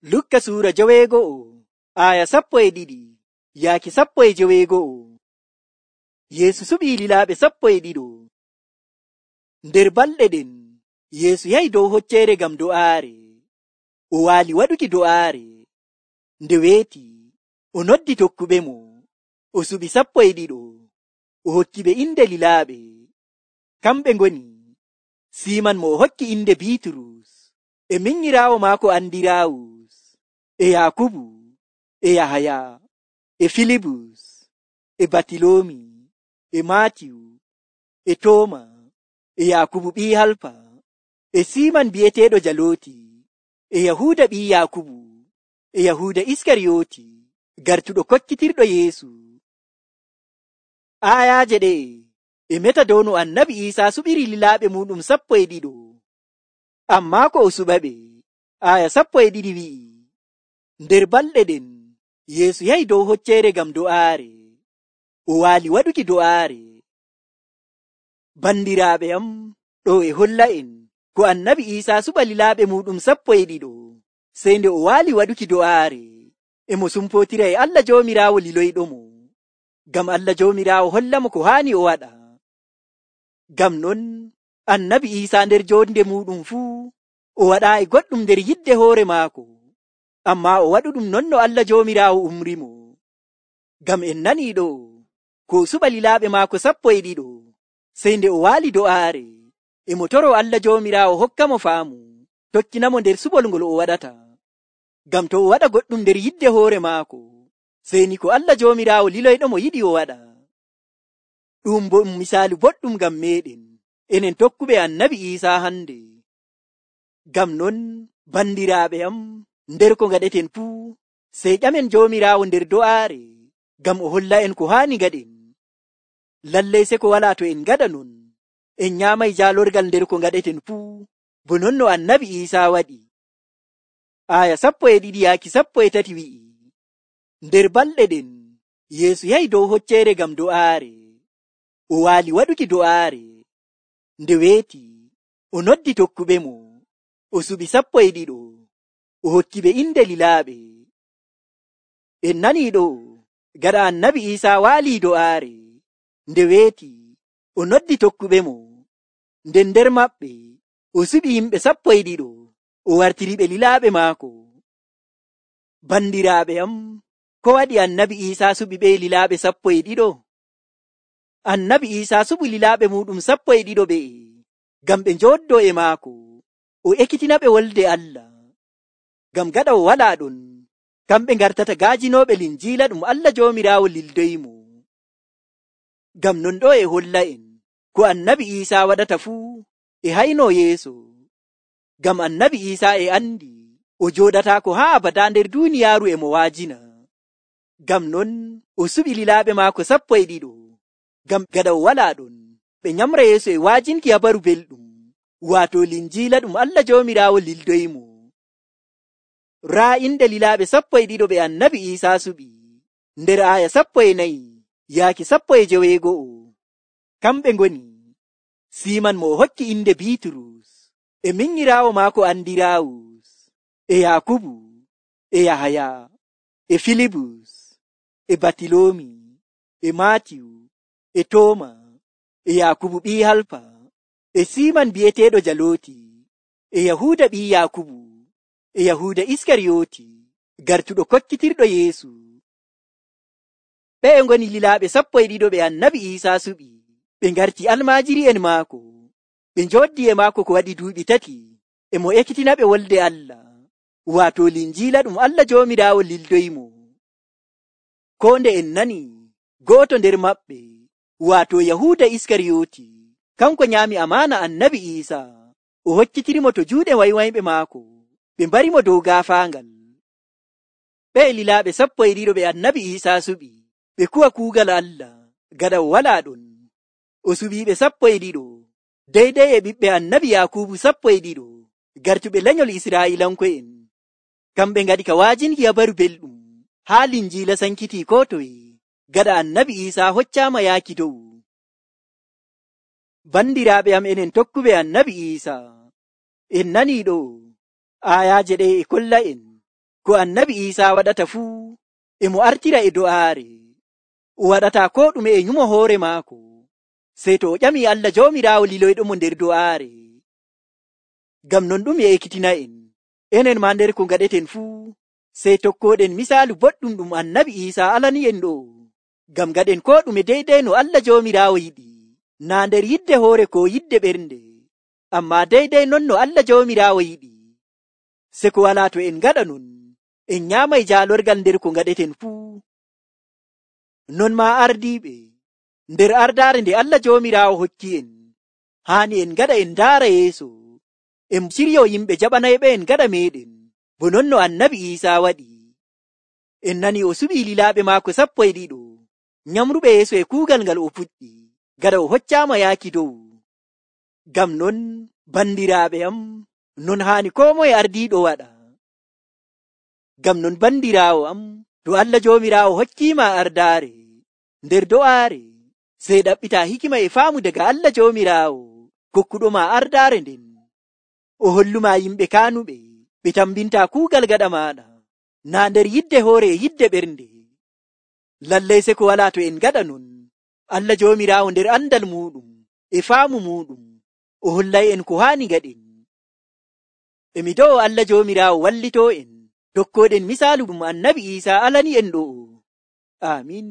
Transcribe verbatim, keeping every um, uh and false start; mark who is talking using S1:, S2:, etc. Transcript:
S1: Lukka suura joweego'o aya sappo e ɗiɗi yaaki sappo e joweego'o. Yeesu suɓii lilaaɓe sappo e ɗiɗo. Nder balɗe ɗen Yeesu yahi dow hocceere ngam do'aare. O waali waɗuki do'aare. Nde weeti o noddi tokkuɓemo. O suɓi sappo e ɗiɗo. O hokki ɓe inde lilaaɓe. Kamɓe ngoni Siiman mo o hokki inde Biiturus, e minyiraawo maako Andiraawus, e Yaakubu, e Yahaya, e Filibus, e Batiloomi, e Maatiyu, e Tooma, e Yaakubu ɓii Halfa, e Siiman bi'eteeɗo Jalooti, e Yahuuda ɓii Yaakubu, e Yahuuda Iskariyooti, gartuɗo kokkitirɗo Yeesu. Aayaaje ɗe'e e meta dow no Annabi Iisaa suɓiri lilaaɓe muuɗum sappo e ɗiɗo. Ammaa ko o suɓaɓe, aaya sappo e ɗiɗi wi'i, nder balɗe ɗen Yeesu yahi dow hocceere ngam do'aare. O waali waɗuki do'aare. Bandiraaɓe am, ɗo e holla'en ko Annabi Iisaa suɓa lilaaɓe muuɗum sappo e ɗiɗo, sey nde o waali waɗuki do'aare, e mo sumpootira e Allah Joomiraawo liloyɗomo, ngam Allah Joomiraawo hollamo ko haani o waɗa. Ngam non Annabi Iisaa nder joonde muuɗum fuu o waɗaayi goɗɗum nder yidde hoore maako, ammaa o waɗuɗum non no Allah Joomiraawo umrimo. Ngam en nanii ɗo ko o suɓa lilaaɓe maako sappo e ɗiɗo, sey nde o waali do'aare, e mo toroo Allah Joomiraawo hokkamo faamu, tokkinamo nder suɓol ngol o waɗata. Ngam to o waɗa goɗɗum nder yidde hoore maako, sey ni ko Allah Joomiraawo liloyɗomo yiɗi o waɗa. Ɗum bo ɗum misaalu boɗɗum ngam meeɗen, enen tokkuɓe Annabi Iisaa hande. Ngam non bandiraaɓe am, nder ko ngaɗeten fuu, sey ƴamen Joomiraawo nder do'aare, ngam o holla en ko haani ngaɗen. Lallay se ko walaa to en ngaɗa non, en nyaamay jaalorgal nder ko ngaɗeten fuu, bo non no Annabi Iisaa waɗi. Aaya sappo e ɗiɗi yaaki sappo e tati wi'i, nder balɗe ɗen Yeesu yahi dow hocceere ngam do'aare. O waali waɗuki do'aare. Nde weeti o noddi tokkuɓemo. O suɓi sappo e ɗiɗo. O hokki ɓe inde lilaaɓe. En nanii ɗo gaɗa Annabi Iisaa waalii do'aare. Nde weeti o noddi tokkuɓemo. Nden nder maɓɓe o suɓi yimɓe sappo e ɗiɗo. O wartiri ɓe lilaaɓe maako. Bandiraaɓe am, ko waɗi Annabi Iisaa suɓi ɓe lilaaɓe sappo e ɗiɗo? Annabi Iisaa suɓi lilaaɓe muuɗum sappo e ɗiɗo ɓe, ngam ɓe njooddoo e maako, o ekkitina ɓe wolde Allah. Ngam gaɗa o walaa ɗon, kamɓe ngartata gaajinooɓe linjiila ɗum Allah Joomiraawo lildoyimo. Ngam non ɗo e holla'en ko Annabi Iisaa waɗata fuu e haynoo yeeso. Ngam Annabi Iisaa e andi o jooɗataako haa abadaa nder duuniyaaru e mo waajina. Ngam non o suɓi lilaaɓe maako sappo e ɗiɗo. Ngam gaɗa o walaa ɗon, ɓe nyamra yeeso e waajinki habaru belɗum, waato linjiila ɗum Allah Joomiraawo lildoyimo. Raa inde lilaaɓe sappo e ɗiɗo ɓe Annabi Iisaa suɓi, nder aaya sappo e nayi yaaki sappo e joweego'o. Kamɓe ngoni Siiman mo o hokki inde Biiturus, e minyiraawo maako Andiraawus, e Yaakubu, e Yahaya, e Filibus, e Batiloomi, e Maatiyu, e Tooma, e Yaakubu ɓii Halfa, e Siiman bi'eteeɗo Jalooti, e Yahuuda ɓii Yaakubu, e Yahuuda Iskariyooti, gartuɗo kokkitirɗo Yeesu. Ɓe ngoni lilaaɓe sappo e ɗiɗo ɓe Annabi Iisaa suɓi. Ɓe ngarti almaajiri'en maako. Ɓe njooddi e maako ko waɗi duuɓi tati, e mo ekkitina ɓe wolde Allah, waato linjiila ɗum Allah Joomiraawo lildoyimo. Ko nde en nani go'oto nder maɓɓe, waato Yahuuda Iskariyooti, kanko nyaami amaana Annabi Iisaa, o hokkitirimo to juuɗe waywayɓe maako, ɓe mbarimo dow gaafaangal. Ɓe lilaaɓe sappo e ɗiɗo ɓe Annabi Iisaa suɓi, ɓe kuwa kuugal Allah, gaɗa o walaa ɗon. O suɓiiɓe sappo e ɗiɗo, deydey e ɓiɓɓe Annabi Yaakubu sappo e ɗiɗo, gartuɓe lenyol Israa'iilanko'en. Kamɓe ngaɗi ka waajinki habaru belɗum, haa linjiila sankitii ko toye, gaɗa Annabi Iisaa hoccaama yaaki dow. Bandiraaɓe am enen tokkuɓe Annabi Iisaa, en nanii ɗo aayaaje ɗe e kolla en ko annabi Iisaa waɗata fuu e mo artira e do'aare, o waɗataa koo ɗume e nyumo hoore maako, sey to o ƴamii Allah Joomiraawo liloyɗomo nder do'aare. Ngam non ɗum e ekkitina'en, enen maa nder ko ngaɗeten fuu, sey tokkooɗen misaalu boɗɗum ɗum annabi Iisaa alani'en ɗo, ngam ngaɗen koo ɗume deydey no Allah Joomiraawo yiɗi, naa nder yidde hoore koo yidde ɓernde, ammaa deydey non no Allah Joomiraawo yiɗi. Se ko walaa to en ngaɗa non, en nyaamay jaalorgal nder ko ngaɗeten fuu. Non maa ardiiɓe, nder ardaare nde Allah Joomiraawo hokki en, haani en ngaɗa en ndaara yeeso, en ciryo yimɓe jaɓanayɓe en gaɗa meeɗen, bo non no annabi Iisaa waɗi. En nani o suɓii lilaaɓe maako sappo e ɗiɗo, nyamruɓe yeeso e kuugal ngal o fuɗɗi, gaɗa o hoccaama yaaki dow. Ngam non, bandiraaɓe am, non haani koo moye ardiiɗo waɗa. Ngam non bandiraawo am, to Allah Joomiraawo hokkiima ardaare, nder do'aare, sey ɗaɓɓitaa hikima e faamu daga Allah Joomiraawo, kokkuɗoma ardaare nden. O holluma yimɓe kaanuɓe, ɓe tambinta kuugal gaɗa maaɗa, naa nder yidde hoore e yidde ɓernde. Lallay se ko walaa to en gaɗa non, Allah Joomiraawo nder andal muuɗum e faamu muuɗum, o hollay en ko haani gaɗen. E mi do'o Allah Joomiraawo wallitoo en, tokkooɗen misaalu ɗum annabi Iisaa alani en ɗo. Aamin.